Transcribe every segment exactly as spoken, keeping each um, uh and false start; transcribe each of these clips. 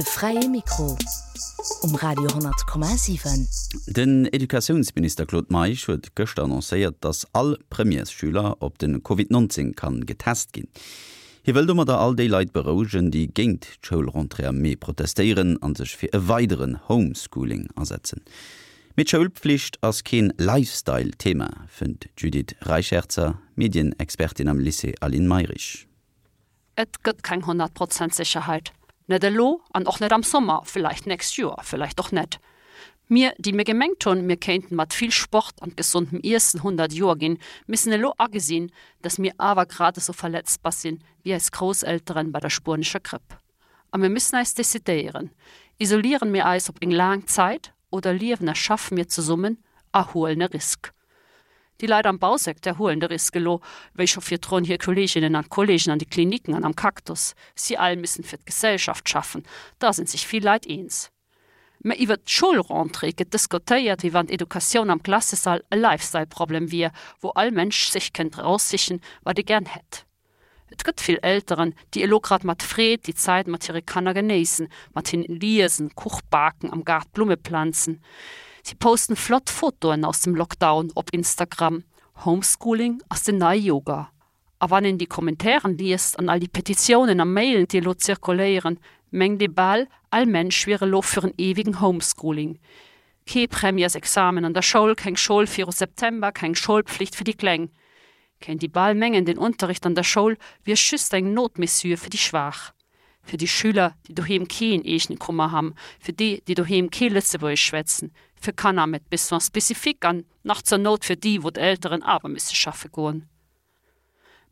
De fräie Mikro um Radio honnert Komma siwen. Den Educatiounsminister Claude Meisch huet gëschter annoncéiert, datt all Premièresschüler op de Covid neunzéng kann getest ginn. Hie wëll domadder all déi Leit berouegen, déi géint d'Schoulrentrée am Mee protestéieren a sech fir e weideren Homeschooling asetzen. Mee d'Schoulpflicht ass keen Lifestyle-Thema, fënnt d'Judith Reicherzer, Medienexpertin am Lycée Aline Mayrisch. Et gëtt keng honnert Prozent Sécherheet. Net elo an och net am Summer, villäicht nächst Joer, villäicht och net. Mir, déi mir gemengt hunn, mir kéinten mat vill Sport an gesondem Iessen honnert Joer ginn, missen elo agesinn, dass mir awer grad esou verletzbar sinn wéi eis Grousselteren bei der spuenescher Gripp. A mir müssen eis decidéieren, Isolieren mir eis op eng laang Zäit oder liewen a schaffe mir zesummen a huelen e Risk? Déi Leit am Bausecteur huelen de Risk elo, wéi scho virdrun hir Kolleeginnen an Kolleegen an de Klinicken an am Cactus. Si all müssen fir d'Gesellschaft schaffen, da sinn sech vill Leit eens. Mä iwwert d'Schoulrentrée gëtt diskutéiert, wéi wann d'Educatioun am Klassesall e Lifestyle-Problem wier, wou all Mënsch sech kënnt eraussichen, wat e gären hätt. Et gëtt vill Elteren, déi elo grad mat Freed déi Zäit mat hire Kanner genéissen, mat hinnen liesen, Kuch baken, am Gaart Blumme planzen. Si posten flott Fotoen aus dem Lockdown op Instagram. Homeschooling ass den neie Yoga. A wann een déi Kommentairen liest an all déi Petitiounen a Mailen, déi elo zirkuléieren, mengt ee bal, all Mensch wier elo fir en ewigen Homeschooling. Kee Premièresexamen an der Schoul, keng Schoul viru September, keng Schoulpflicht fir déi Kleng. Kéint ee bal mengen, den Unterricht an der Schoul wier just eng Notmesure fir déi Schwaach. Fir déi Schüler, déi doheem keen eegene Kummer ham, fir déi, déi doheem kee Lëtzebuergesch schwätzen, fir Kanner mat Besoins spécifiques an nach zur Nout fir déi, wou d'Elteren awer misse schaffe goen.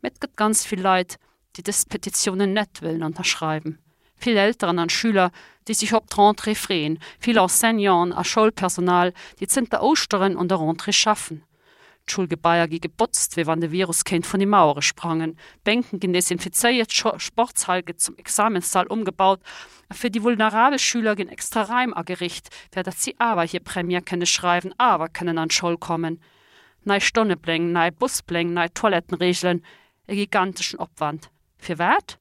Mä et gëtt ganz vill Leit, déi dës Petitiounen net wëllen ënnerschreiwen. Vill Elteren an Schüler, déi sech op d'Rentrée freeën, vill Enseignanten a Schoulpersonal, déi zënter Ouschteren un der Rentrée schaffen. D'Schoulgebaier gi gebotzt, wéi wann de Virus kéint vun de Mauere sprangen. D'Bänken ginn desinfizéiert, d'Sportshal gëtt zum Examenssall ëmgebaut a fir déi vulnerabel Schüler ginn extra Raim ageriicht, fir datt si awer hir Première kënne schreiwen, awer kënnen an d'Schoul kommen. Nei Stonnepläng, nei Buspläng, nei Toilettenreegelen, e giganteschen Opwand. Firwat?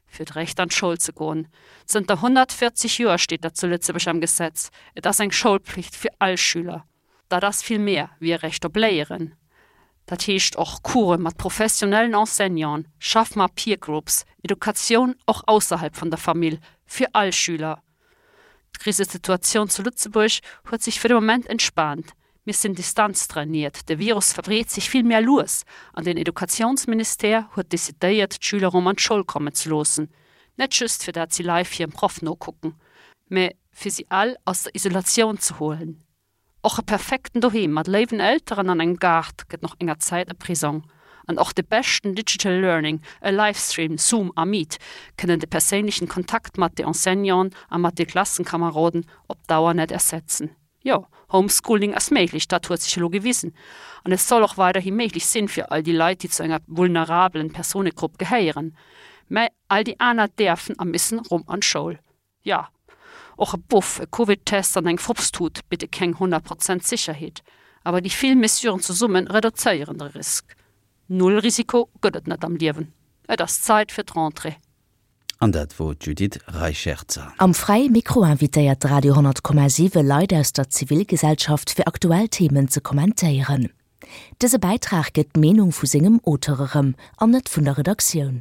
Fir d'Recht an d'Schoul ze goen. Zënter honnertvéierzeg Joer steet dat zu Lëtzebuerg am Gesetz, et ass eng Schoulpflicht fir all Schüler. Dat ass vill méi wéi e Recht op Léieren. Dat heescht och Course mat professionellen Enseignanten, Schaff mat Peer Groups, Educatioun och ausserhalb vun der Famill, fir all Schüler. D'Krisesituatioun zu Lëtzebuerg huet sech fir de Moment entspaant. Mir sinn distanztrainiert, de Virus verbreet sech vill méi lues an den Educatiounsministère huet decidéiert, d'Schüler erëm an d'Schoul kommen ze loossen. Net just fir dat si live hirem Proff nokucken, mä fir si all aus der Isolatioun ze huelen. Och e perfekten Doheem mat léiwen Elteren an engem Gaart gëtt no enger Zäit e Prisong. An och de beschten Digital Learning, e Livestream, Zoom a Meet, kënnen de perséinlechen Kontakt mat de Enseignanten a mat de Klassenkameroden op Dauer net ersetzen. Jo, Homeschooling ass méiglech, dat huet sech elo gewisen. An et soll och weiderhi méiglech sinn fir all déi Leit, déi zu enger vulnerabelen Personegrupp gehéieren. Mä all déi aner däerfen a missen rëm an d'Schoul. Jo, och e Buff, e Covid-Test an eng Frupstut bidde keng honnert Prozent Sécherheet, awer déi vill Mesuren zesumme reduzéieren de Risk. Null Risiko gëtt et net am Liewen. Et ass Zäit fir d'Rentrée. An dat wor d'Judith Reicherzer. Am Fräie Mikro invitéiert de Radio honnert Komma siwe Leit aus der Zivilgesellschaft fir aktuell Themen ze kommentéieren. Dëse Bäitrag gëtt d'Meenung vu sengem Auteur erëm an net vun der Redaktioun.